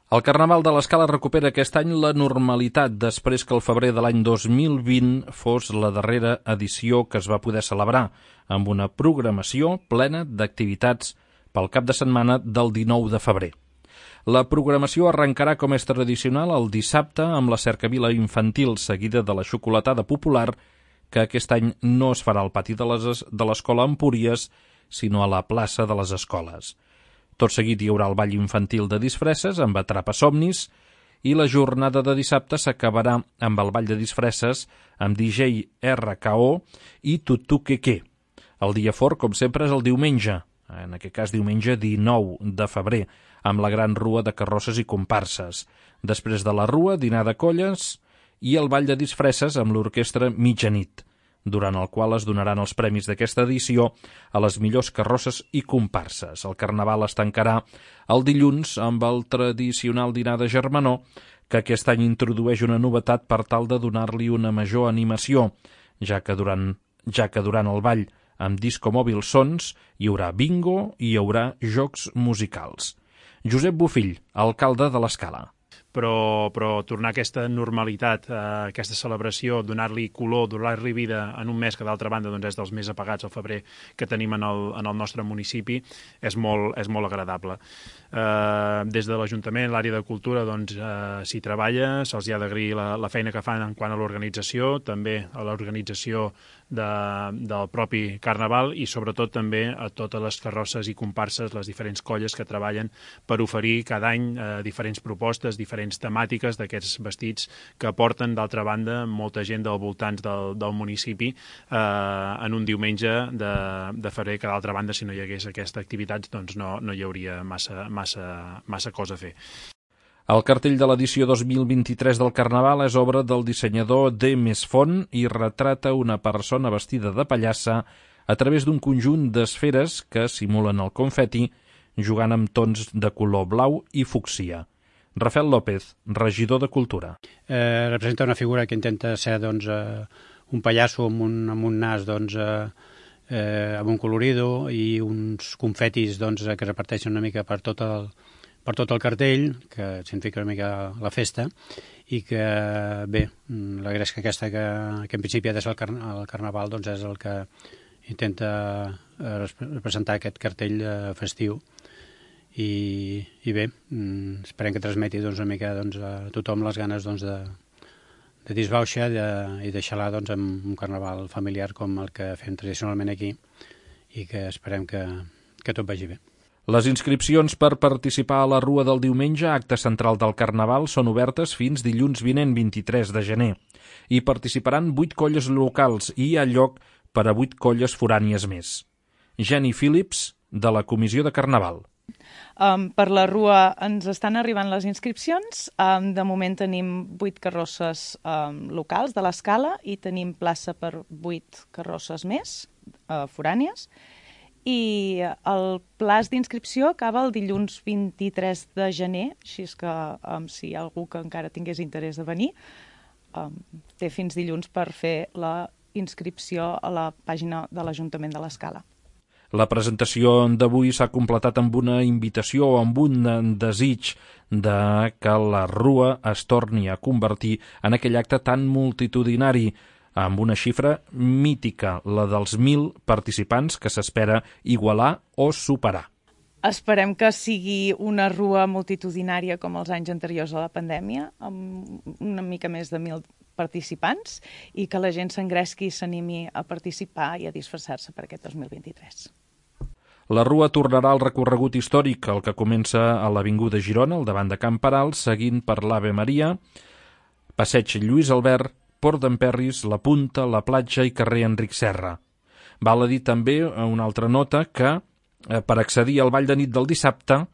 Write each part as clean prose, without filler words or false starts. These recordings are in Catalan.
El Carnaval de l'Escala recupera aquest any la normalitat després que el febrer de l'any 2020 fos la darrera edició que es va poder celebrar, amb una programació plena d'activitats pel cap de setmana del 19 de febrer. La programació arrencarà, com és tradicional, el dissabte amb la cercavila infantil seguida de la xocolatada popular, que aquest any no es farà al pati de l'Escola Empúries, sinó a la plaça de les Escoles. Tot seguit hi haurà el ball infantil de disfresses amb Atrapa-somnis i la jornada de dissabte s'acabarà amb el ball de disfresses amb DJ RKO i Tutuqueque. El dia fort, com sempre, és el diumenge, en aquest cas diumenge 19 de febrer, amb la gran rua de carrosses i comparses. Després de la rua, dinar de colles i el ball de disfresses amb l'orquestra Mitjanit, durant el qual es donaran els premis d'aquesta edició a les millors carrosses i comparses. El Carnaval es tancarà el dilluns amb el tradicional dinar de germanor, que aquest any introdueix una novetat per tal de donar-li una major animació, ja que durant el ball amb disco mòbil sons hi haurà bingo i hi haurà jocs musicals. Josep Bofill, alcalde de l'Escala. Però tornar a aquesta normalitat, a aquesta celebració, donar-li color, donar-li vida en un mes que d'altra banda doncs, és dels més apagats al febrer que tenim en el nostre municipi, és molt agradable. Des de l'Ajuntament, l'àrea de cultura, doncs, s'hi treballa, se'ls ha d'agrair la feina que fan en quant a l'organització, també a l'organització del propi Carnaval i sobretot també a totes les carrosses i comparses, les diferents colles que treballen per oferir cada any diferents propostes, diferents temàtiques d'aquests vestits que porten, d'altra banda, molta gent dels voltants del municipi en un diumenge de febrer, que d'altra banda, si no hi hagués aquesta activitat, doncs no hi hauria massa cosa a fer. El cartell de l'edició 2023 del Carnaval és obra del dissenyador D. Mesfont i retrata una persona vestida de pallassa a través d'un conjunt d'esferes que simulen el confeti, jugant amb tons de color blau i fúcsia. Rafael López, regidor de Cultura. Representa una figura que intenta ser un pallasso amb un nas amb un colorido i uns confetis que reparteixen una mica per tot el cartell, que significa una mica la festa, i que, bé, la gresca aquesta que en principi ha de ser el Carnaval doncs és el que intenta representar aquest cartell festiu. I bé, esperem que transmeti una mica a tothom les ganes de disbauxa i de xalar amb un carnaval familiar com el que fem tradicionalment aquí i que esperem que tot vagi bé. Les inscripcions per participar a la Rua del diumenge, acte central del Carnaval, són obertes fins dilluns vinent, 23 de gener, i participaran 8 colles locals i hi ha lloc per a 8 colles forànies més. Jenny Phillips, de la Comissió de Carnaval. Per la Rua ens estan arribant les inscripcions. De moment tenim 8 carrosses locals de l'Escala i tenim plaça per 8 carrosses més, forànies. I el plaç d'inscripció acaba el dilluns 23 de gener, així és que si hi ha algú que encara tingués interès de venir, té fins dilluns per fer la inscripció a la pàgina de l'Ajuntament de l'Escala. La presentació d'avui s'ha completat amb una invitació o amb un desig de que la Rua es torni a convertir en aquell acte tan multitudinari, amb una xifra mítica, la dels 1.000 participants que s'espera igualar o superar. Esperem que sigui una rua multitudinària com els anys anteriors a la pandèmia, amb una mica més de 1.000 participants, i que la gent s'engresqui i s'animi a participar i a disfressar-se per aquest 2023. La Rua tornarà al recorregut històric, el que comença a l'Avinguda Girona, al davant de Can Peral, seguint per l'Ave Maria, Passeig Lluís Albert, Port d'Emperris, La Punta, La Platja i carrer Enric Serra. Val a dir també una altra nota que, per accedir al ball de nit del dissabte,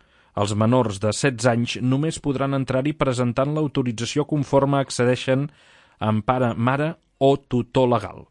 els menors de 16 anys només podran entrar-hi presentant l'autorització conforme accedeixen amb pare, mare o tutor legal.